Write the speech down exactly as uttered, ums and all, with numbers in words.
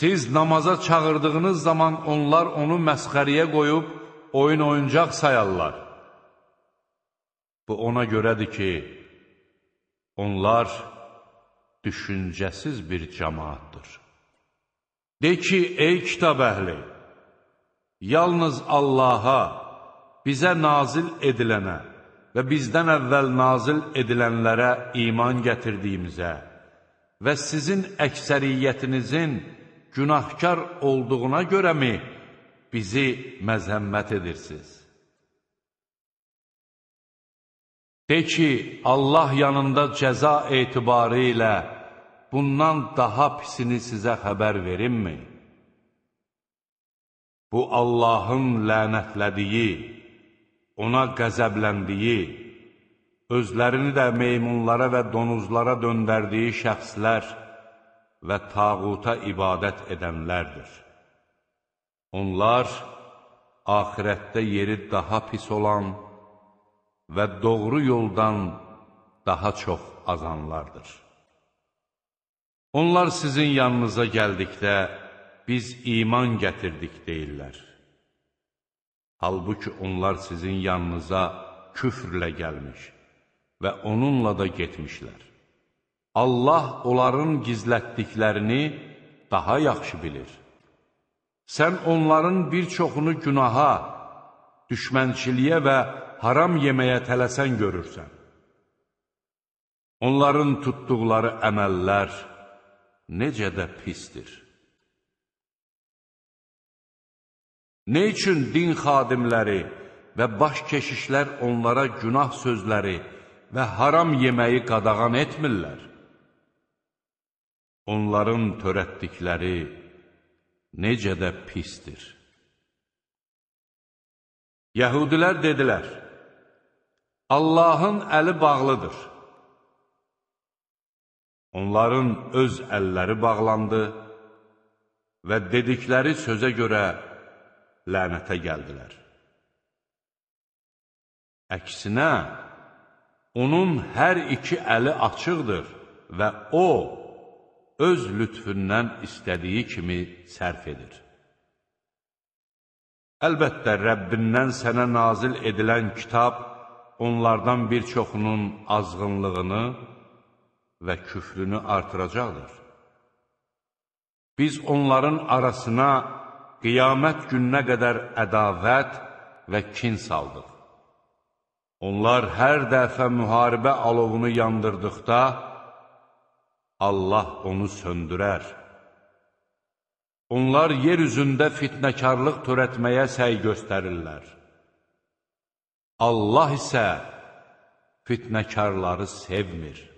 Siz namaza çağırdığınız zaman onlar onu məsxəriyə qoyub oyun oyuncaq sayarlar. Bu ona görədir ki, onlar düşüncəsiz bir cəmaatdır. De ki, ey kitab əhli, yalnız Allaha, bizə nazil edilənə və bizdən əvvəl nazil edilənlərə iman gətirdiyimizə və sizin əksəriyyətinizin günahkar olduğuna görəmi bizi məzəmmət edirsiniz? De ki, Allah yanında cəza etibarı ilə bundan daha pisini sizə xəbər verimmi? Bu, Allahın lənətlədiyi, ona qəzəbləndiyi, özlərini də meymunlara və donuzlara döndərdiyi şəxslər və tağuta ibadət edənlərdir. Onlar, axirətdə yeri daha pis olan və doğru yoldan daha çox azanlardır. Onlar sizin yanınıza gəldikdə, biz iman gətirdik deyirlər. Halbuki onlar sizin yanınıza küfrlə gəlmiş və onunla da getmişlər. Allah onların gizlətdiklərini daha yaxşı bilir. Sən onların bir çoxunu günaha, düşmənçiliyə və haram yeməyə tələsən görürsən. Onların tutduqları əməllər necə də pisdir. Nə üçün din xadimləri və baş keşişlər onlara günah sözləri və haram yeməyi qadağan etmirlər? Onların törətdikləri necə də pisdir. Yəhudilər dedilər, Allahın əli bağlıdır. Onların öz əlləri bağlandı və dedikləri sözə görə lənətə gəldilər. Əksinə, onun hər iki əli açıqdır və o, öz lütfündən istədiyi kimi sərf edir. Əlbəttə, Rəbbindən sənə nazil edilən kitab onlardan bir çoxunun azğınlığını və küfrünü artıracaqdır. Biz onların arasına qiyamət gününə qədər ədavət və kin saldıq. Onlar hər dəfə müharibə alovunu yandırdıqda, Allah onu söndürər. Onlar yer üzündə fitnəkarlıq törətməyə səy göstərirlər. Allah isə fitnəkarları sevmir.